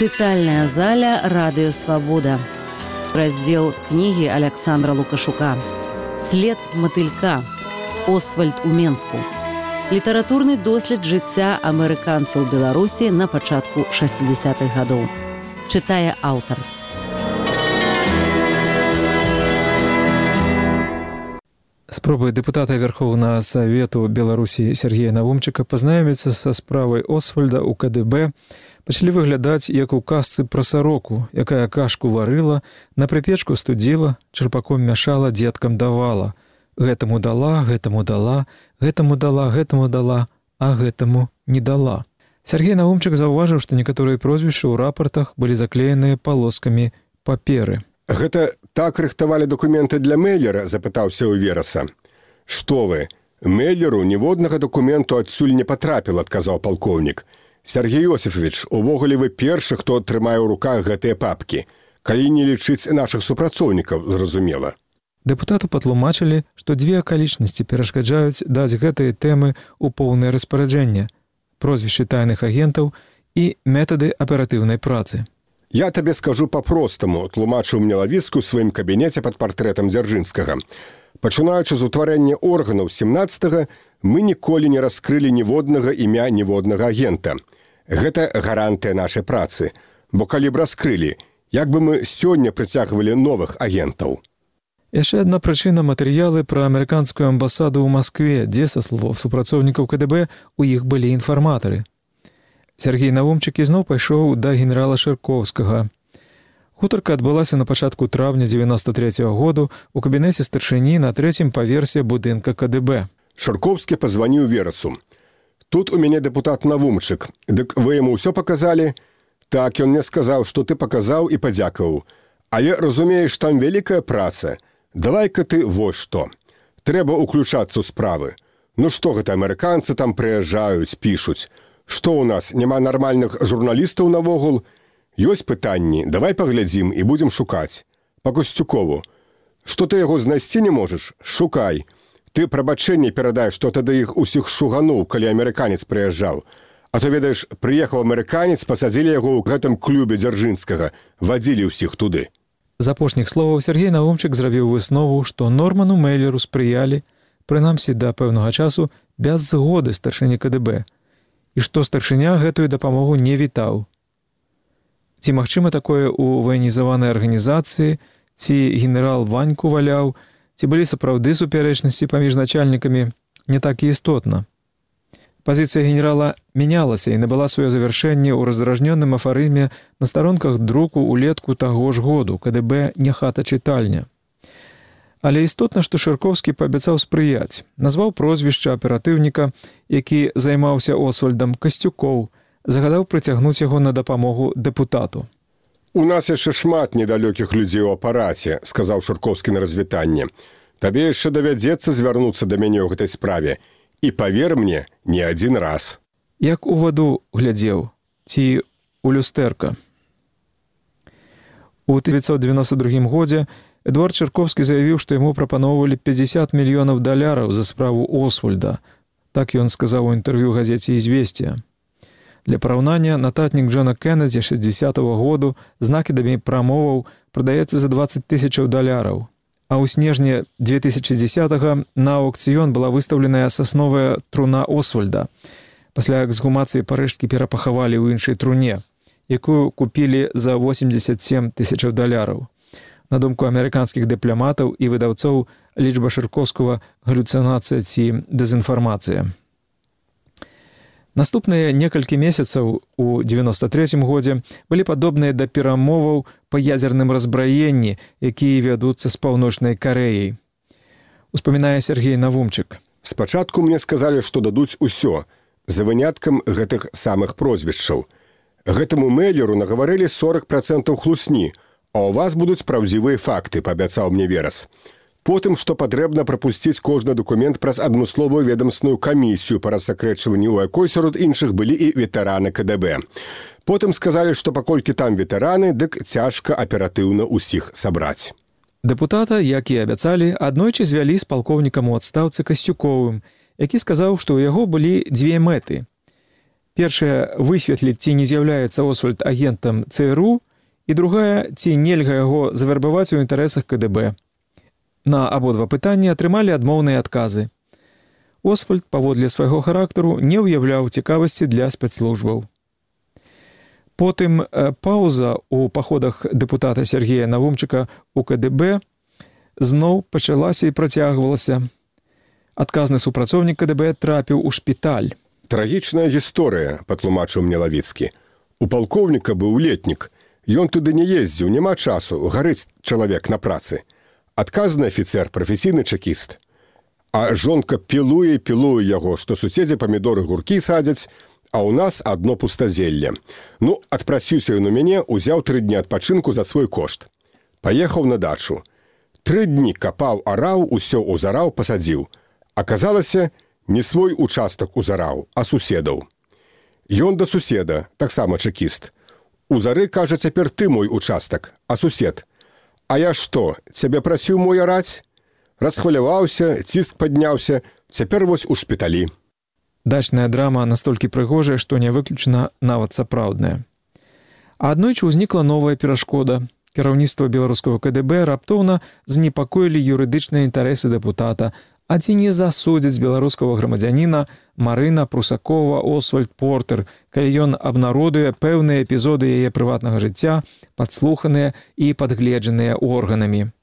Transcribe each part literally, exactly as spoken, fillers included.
Чытальная заля «Радыё Свабода». Раздзел кнігі Аляксандра Лукашука. «След матылька. Освальд у Менску». Літаратурны дослед жыцця амерыканцаў Беларусі на пачатку шэсцідзясятых гадоў. Чытае аўтар. Спробы дэпутата Верховнага Савету Беларусі Сергея Навумчыка пазнаёміцца са справай Освальда ў ка дэ бэ пачалі выглядаць як у казцы пра сароку, якая кашку варыла, на прыпечку студзіла, чарпаком мяшала, дзеткам давала. Гэтаму дала, гэтаму дала, гэтаму дала, гэтаму дала, а гэтаму не дала. Сергей Навумчык заўважыў, што некаторыя прозвішчы ў рапартах былі заклееныя палоскамі паперы. Гэта так рыхтавалі дакументы для Мейлера, запытаўся ў Вераса. Што вы, Мейлеру ніводнага дакументу адсюль не патрапіла, адказаў палкоўнік. Сергей Йосифович, увогуле вы першы, хто трымае ў руках гэтыя папкі. Калі не лічыць нашых супрацоўнікаў, зразумела. Дэпутату патлумачылі, што дзве акалічнасці перашкаджаюць даць гэтыя тэмы ў поўнае распараджэнне: прозвішчы тайных агентаў і метады аператыўнай працы. Я табе скажу па-простаму, тлумачыў мне Лавіцкі ў сваім кабінеце пад партрэтам Дзяржынскага. Пачынаючы з утварэння органаў сямнаццатага, мы ніколі не раскрылі ніводнага імя ніводнага агента. Гэта гарантыя нашай працы, бо калі б раскрылі, як бы мы сёння прыцягвалі новых агентаў. Яшчэ адна прычына — матэрыялы пра амерыканскую амбасаду ў Маскве, дзе, са словаў супрацоўнікаў ка дэ бэ, у іх былі інфарматары. Сергей Навумчык ізноў пайшоў да генерала Шыркоўскага. Гутарка адбылася на пачатку траўня дзевяноста трэцяга году ў кабінеце старшыні на трэцім паверсе будынка ка дэ бэ. Шыркоўскі пазваніў Верасу. Тут у мяне дэпутат Навумчык. Дык вы яму ўсё паказалі? Так, ён мне сказаў, што ты паказаў і падзякаваў. Але, разумееш, там вялікая праца. Давай-ка ты вось што. Трэба ўключацца ў справы. Ну што гэта, амерыканцы там прыязджаюць, пішуць. Што ў нас, няма нармальных журналістаў навогул? Ёсць пытанні, давай паглядзім і будзем шукаць. Па Касцюкову. Што ты яго знайсці не можаш? Шукай. Ты прабачэнне перадай, што тады іх усіх шугануў, калі амерыканец прыязджаў. А то, ведаеш, прыехаў амерыканец, пасадзілі яго ў гэтым клубе Дзяржынскага, вадзілі ўсіх туды. З апошніх словаў Сергей Навумчык зрабіў выснову, што Норману Мейлеру спрыялі, прынамсі да пэўнага часу, без згоды старшыні ка дэ бэ, і што старшыня гэтую дапамогу не вітаў. Ці магчыма такое ў ваенізаванай арганізацыі, ці генерал Ваньку валяў, ці былі сапраўды супярэчнасці паміж начальнікамі, не так і істотна. Пазіцыя генерала мянялася і набыла сваё завяршэнне ў раздражнёным афарызме на старонках друку ўлетку таго ж году, ка дэ бэ не хата-чытальня. Але істотна, што Шыркоўскі паабяцаў спрыяць, назваў прозвішча аператыўніка, які займаўся Освальдам, Касцюкоў, загадаў прыцягнуць яго на дапамогу дэпутату. У нас яшчэ шмат недалёкіх людзей у апараце, сказаў Шыркоўскі на развітанне. Табе яшчэ давядзецца звярнуцца да мяне ў гэтай справе. І павер мне, не адзін раз. Як у ваду глядзеў, ці у люстэрка. У тысяча дзевяцьсот дзевяноста другім годзе Эдуард Чырковскі заявіў, што яму прапаноўвалі пяцьдзясят мільёнаў даляраў за справу Освальда. Так ён сказаў у інтэрв'ю газеце «Ізвесція». Для параўнання, нататнік Джона Кеннедзі шэсцідзясятага году з накідамі прамоваў прадаецца за дваццаць тысячаў даляраў. А ў снежні две тысячы дзесятага на аукцыён была выстаўленая сасновая труна Освальда. Пасля эксгумацыі парыжскі перапахавалі ў іншай труне, якую купілі за восемьдзесят сем тысячаў даляраў. На думку амерыканскіх дыпламатаў і выдаўцоў, лічба Шыркоўскага галюцынацыя ці дэзінфармацыя. Наступныя некалькі месяцаў у дзевяноста трэцім годзе былі падобныя да перамоваў па ядзерным разбраенні, якія вядуцца з Паўночнай Карэяй. Успамінае Сергей Навумчык. Спачатку мне сказалі, што дадуць усё, за выняткам гэтых самых прозвішчаў. Гэтаму Мейлеру нагаварылі сорок працэнтаў хлусні, а ў вас будуць праўдзівыя факты, паабяцаў мне Верас. Потым, што патрэбна прапусціць кожны дакумент праз адмысловую ведамсную камісію па рассакрэчванні, у якой сярод іншых былі і ветэраны ка дэ бэ. Потым сказалі, што паколькі там ветэраны, дык цяжка аператыўна ўсіх сабраць. Дэпутата, як і абяцалі, аднойчы звялі з палкоўнікам у адстаўцы Касцюковым, які сказаў, што ў яго былі дзве мэты. Першая – высветліць, ці не з'яўляецца Освальд агентам ЦРУ, і другая – ці нельга яго завярбаваць у інтарэсах КДБ. На абодва пытанні атрымалі адмоўныя адказы. Освальд, паводле свайго характару, не ўяўляў цікавасці для спецслужбаў. Потым паўза ў паходах дэпутата Сергея Навумчыка ў КДБ зноў пачалася і працягвалася. Адказны супрацоўнік КДБ трапіў у шпіталь. Трагічная гісторыя, патлумачыў мне Лавіцкі. У палкоўніка быў летнік. Ён туды не ездзіў, няма часу, гарыць чалавек на працы. Адказны афіцэр, прафесійны чекіст. А жонка пілуе і пілуе яго, што суседзі памідоры гуркі садзяць, а ў нас адно пустазелле. Ну, адпрасіўся ён у мяне, узяў тры дні адпачынку за свой кошт. Паехаў на дачу. Тры дні капаў, араў, усё узараў, пасадзіў. Аказалася, не свой участак узараў, а суседаў. Ён да суседа, таксама чекіст. Узары, кажа, цяпер ты мой участак, а сусед. А я што, цябе прасіў мой араць? Расхваляваўся, ціск падняўся, цяпер вось у шпіталі. Дачная драма настолькі прыгожая, што не выключана нават сапраўдная. А аднойчы ўзнікла новая перашкода. Кіраўніцтва беларускага КДБ раптоўна занепакоілі юрыдычныя інтарэсы дэпутата, а ці не засудзяць беларускага грамадзяніна Марына Прусакова Освальд Портер, калі ён абнародуе пэўныя эпізоды яе прыватнага жыцця, падслуханыя і падгледжаныя органамі.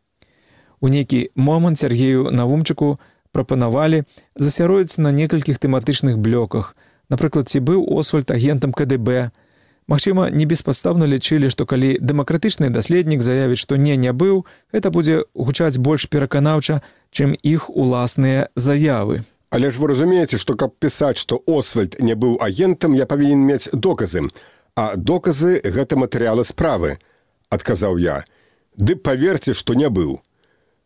У нейкі момант Сергею Навумчыку прапанавалі засяродзіцца на некалькіх тэматычных блёках. Напрыклад, ці быў Освальд агентам КДБ. Магчыма, не беспадстаўна лічылі, што калі дэмакратычны даследнік заявіць, што не, не быў, гэта будзе гучаць больш пераканаўча, чым іх уласныя заявы. Але ж вы разумееце, што каб пісаць, што Освальд не быў агентам, я павінен мець доказы. А доказы – гэта матэрыялы справы, адказаў я. Ды паверце, што не быў.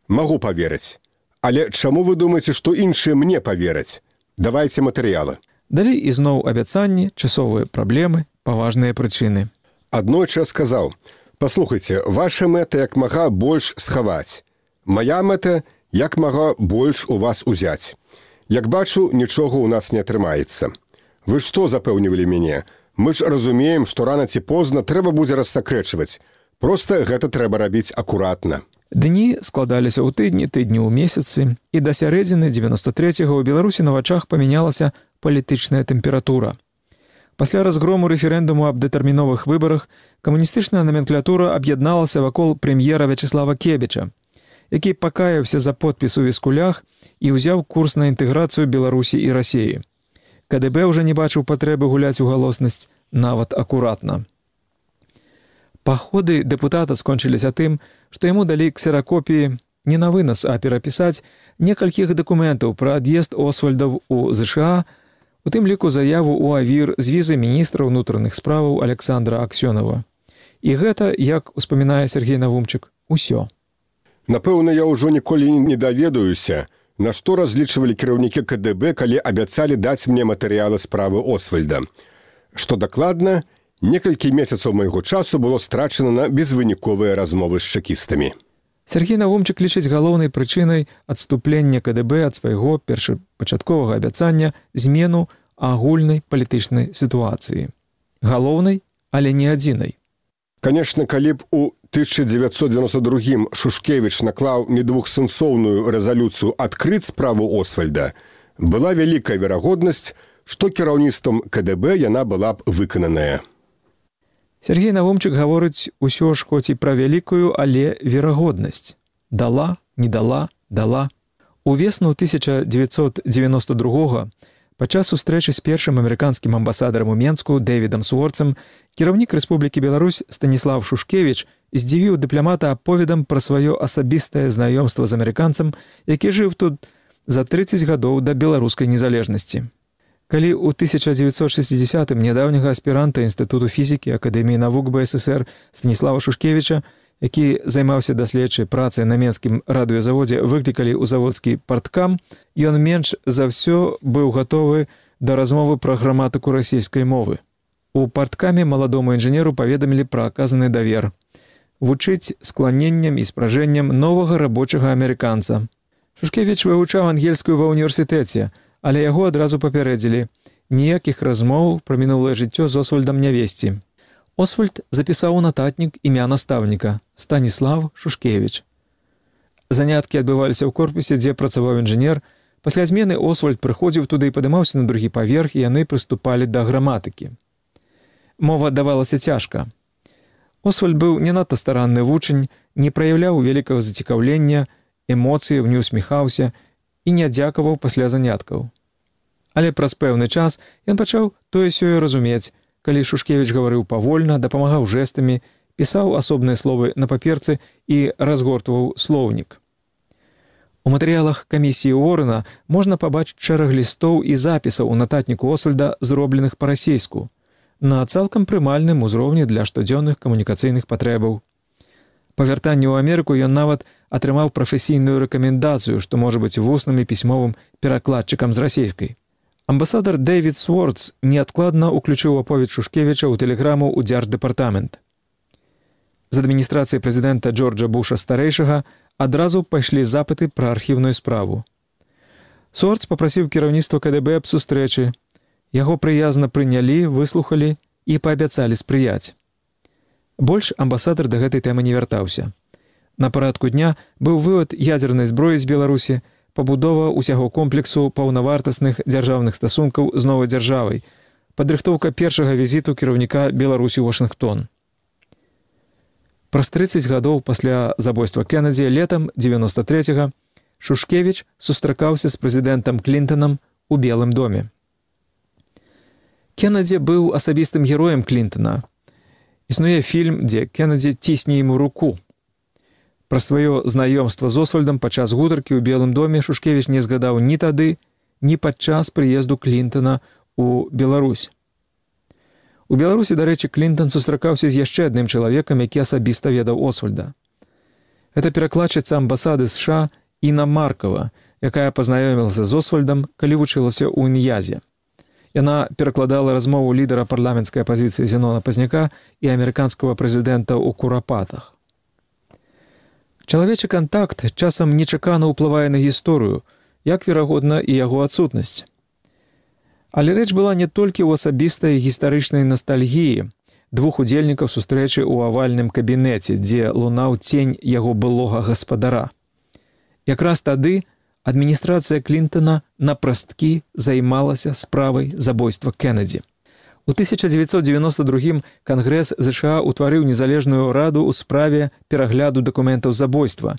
Магу паверыць. Але чаму вы думаеце, што іншыя мне павераць? Давайце матэрыялы. Далей ізноў абяцанні, часовыя праблемы, паважныя прычыны. Аднойчы я сказаў: «Паслухайце, ваша мэта як мага больш схаваць. Мая мэта як мага больш у вас узяць. Як бачу, нічога ў нас не атрымаецца. Вы што запэўнівалі мяне? Мы ж разумеем, што рана ці позна трэба будзе рассакрэчваць. Проста гэта трэба рабіць акуратна». Дні складаліся ў тыдні, тыдні ў месяцы, і да сярэдзіны дзевяноста трэцяга ў Беларусі на вачах памянялася палітычная тэмпература. Пасля разгрому рэферэндуму аб дэтэрміновых выбарах камуністычная наменклатура аб'ядналася вакол прэм'ера Вячеслава Кебіча, які пакаяўся за подпіс у віскулях і ўзяў курс на інтэграцыю Беларусі і Расіі. КДБ ўжо не бачыў патрэбы гуляць у галоснасць нават акуратна. Паходы дэпутата скончыліся тым, што яму далі ксеракопіі не на вынас, а перапісаць некалькіх дакументаў пра ад'езд Освальдаў у ЗША, у тым ліку заяву ў АВІР з візы міністра ўнутраных справаў Александра Аксёнова. І гэта, як успамінае Сергей Навумчык, усё. Напэўна, я ўжо ніколі не даведаюся, на што разлічвалі кіраўнікі КДБ, калі абяцалі даць мне матэрыялы справы Освальда. Што дакладна, некалькі месяцаў майго часу было страчана на безвыніковыя размовы з чекістамі. Сергей Навумчык лічыць галоўнай прычынай адступлення КДБ ад свайго першапачатковага абяцання змену агульнай палітычнай сітуацыі. Галоўнай, але не адзінай. Канешне, калі б у тысяча дзевяцьсот дзевяноста другім Шушкевіч наклаў недвухсэнсоўную рэзалюцыю адкрыць справу Освальда, была вялікая верагоднасць, што кіраўніцтвам КДБ яна была б выкананая. Сергей Навумчык гаворыць усё ж хоць і пра вялікую, але верагоднасць. Дала, не дала, дала. Увесну тысяча дзевяцьсот дзевяноста другога падчас сустрэчы з першым амерыканскім амбасадарам у Менску Дэвідам Суорцам кіраўнік Рэспублікі Беларусь Станіслав Шушкевіч здзівіў дыпламата аповедам пра сваё асабістае знаёмства з амерыканцам, які жыў тут за трыццаць гадоў да беларускай незалежнасці. Калі ў тысяча дзевяцьсот шэсцідзесятым нядаўняга аспіранта Інстытуту фізікі Акадэміі навук БССР Станіслава Шушкевіча, які займаўся даследчай працай на менскім радыёзаводзе, выклікалі ў заводскі парткам, ён менш за ўсё быў гатовы да размовы пра граматыку расійскай мовы. У парткаме маладому інжынеру паведамілі пра аказаны давер. Вучыць скланеннем і спражэннем новага рабочага амерыканца. Шушкевіч вывучаў ангельскую ва ўніверсітэце, але яго адразу папярэдзілі. ніякіх размоў пра мінулае жыццё з Освальдам не весці. Освальд запісаў у нататнік імя настаўніка – Станіслав Шушкевіч. Заняткі адбываліся ў корпусе, дзе працаваў інжынер. Пасля змены Освальд прыходзіў туды і падымаўся на другі паверх, і яны прыступалі да граматыкі. Мова давалася цяжка. Освальд быў не надта старанны вучань, не праяўляў вялікага зацікаўлення, эмоцыяў, не усміхаўся і не дзякаваў пасля заняткаў. Але праз пэўны час ён пачаў тое-сёе разумець, калі Шушкевіч гаварыў павольна, дапамагаў жэстамі, пісаў асобныя словы на паперцы і разгортваў слоўнік. У матэрыялах камісіі Уоррена можна пабачыць шэраг лістоў і запісаў у нататніку Освальда, зробленых па-расейску, на цалкам прымальным узроўні для штодзённых камунікацыйных патрэбаў. Па вяртанні ў Амерыку ён нават атрымаў прафесійную рэкамендацыю, што можа быць вусным і пісьмовым перакладчыкам з расейскай. Амбасадар Дэвід Свордс неадкладна ўключыў аповед Шушкевіча ў тэлеграму ў дзярждэпартамент. З адміністрацыі прэзідэнта Джорджа Буша старэйшага адразу пайшлі запыты пра архіўную справу. Свордс папрасіў кіраўніцтва КДБ аб сустрэчы. Яго прыязна прынялі, выслухалі і паабяцалі спрыяць. Больш амбасадар да гэтай тэмы не вяртаўся. На парадку дня быў вывад ядзернай зброі з Беларусі, пабудова ўсяго комплексу паўнавартасных дзяржаўных стасункаў з новай дзяржавай, падрыхтоўка першага візіту кіраўніка Беларусі ў Вашынгтон. Праз трыццаць гадоў пасля забойства Кеннеді летам дзевяноста трэцяга Шушкевіч сустракаўся з прэзідэнтам Клінтанам у Белым доме. Кеннеді быў асабістым героем Клінтана. Існуе фільм, дзе Кеннеді цісне яму руку. Пра сваё знаёмства з Освальдам падчас гутаркі ў Белым доме Шушкевіч не згадаў ні тады, ні падчас прыезду Клінтана ў Беларусь. У Беларусі, дарэчы, Клінтан сустракаўся з яшчэ адным чалавекам, які асабіста ведаў Освальда. Гэта перакладчыца амбасады США Іна Маркава, якая пазнаёмілася з Освальдам, калі вучылася ў Ін'язе. Яна перакладала размову лідара парламенцкай апазіцыі Зенона Пазняка і амерыканскага прэзідэнта ў Курапатах. Чалавечы кантакт часам нечакана ўплывае на гісторыю, як, верагодна, і яго адсутнасць. Але рэч была не толькі ў асабістай гістарычнай настальгіі двух удзельнікаў сустрэчы ў авальным кабінеце, дзе лунаў цень яго былога гаспадара. Якраз тады адміністрацыя Клінтана напрасткі займалася справай забойства Кеннеді. У тысяча дзевяцьсот дзевяноста другім Кангрэс ЗША ўтварыў незалежную раду ў справе перагляду дакументаў забойства,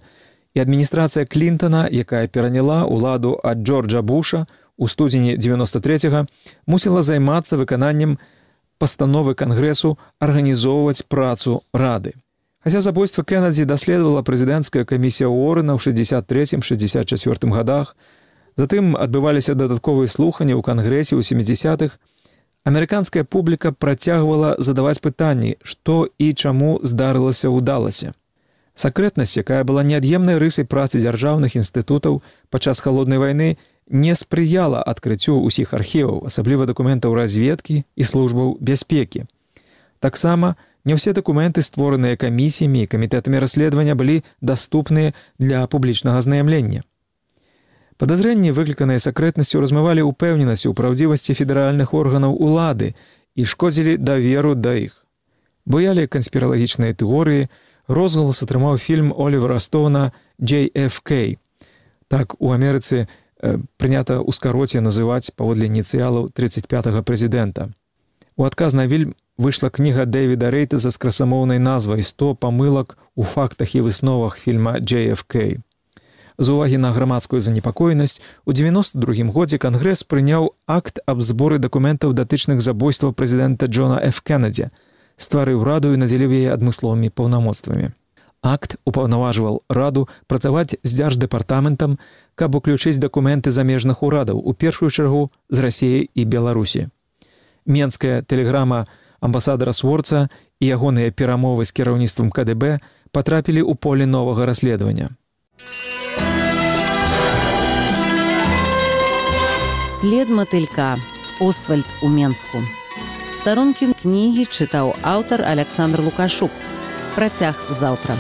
і адміністрацыя Клінтана, якая пераняла ўладу ад Джорджа Буша у студзені дзевяноста трэцяга, мусіла займацца выкананнем пастановы Кангрэсу арганізоўваць працу рады. Хаця забойства Кеннеді даследавала прэзідэнцкая камісія Уоррена ў шэсцьдзесят трэцім - шэсцьдзесят чацвёртым гадах, затым адбываліся дадатковыя слуханні ў Кангрэсе ў сямідзясятых, амерыканская публіка працягвала задаваць пытанні, што і чаму здарылася ўдалася. Сакрэтнасць, якая была неад'емнай рысай працы дзяржаўных інстытутаў падчас халоднай вайны, не спрыяла адкрыццю ўсіх архіваў, асабліва дакументаў разведкі і службаў бяспекі. Таксама не ўсе дакументы, створаныя камісіямі і камітэтамі расследавання, былі даступныя для публічнага азнаямлення. Падазрэнні, выкліканыя сакрэтнасцю, размывалі ўпэўненасць у праўдзівасці федэральных органаў улады і шкодзілі даверу да іх. Буялі канспіралагічныя тэорыі, розгалас атрымаў фільм Олівера Стоуна «Джей Эф Кей». Так у Амерыцы э, прынята ў скароце называць паводле ініцыялаў трыццаць пятага прэзідэнта. У адказ на фільм выйшла кніга Дэвіда Рэйтаза з красамоўнай назвай «сто памылак у фактах і высновах фільма «Джей Эф Кей». З увагі на грамадскую занепакоенасць, у дзевяноста другім годзе Кангрэс прыняў акт аб зборы дакументаў датычных забойства прэзідэнта Джона Эф Кеннеді, стварыў раду і надзеліў яе адмысловымі паўнамоцтвамі. Акт упаўнаважваў раду працаваць з дзярждэпартаментам, каб уключыць дакументы замежных урадаў, у першую чаргу з Расіі і Беларусі. Менская тэлеграма амбасадара Свордса і ягоныя перамовы з кіраўніцтвам КДБ патрапілі ў поле новага расследавання. След матылька. Освальд у Менску. Старонкі кнігі чытаў аўтар Аляксандр Лукашук. Працяг заўтра.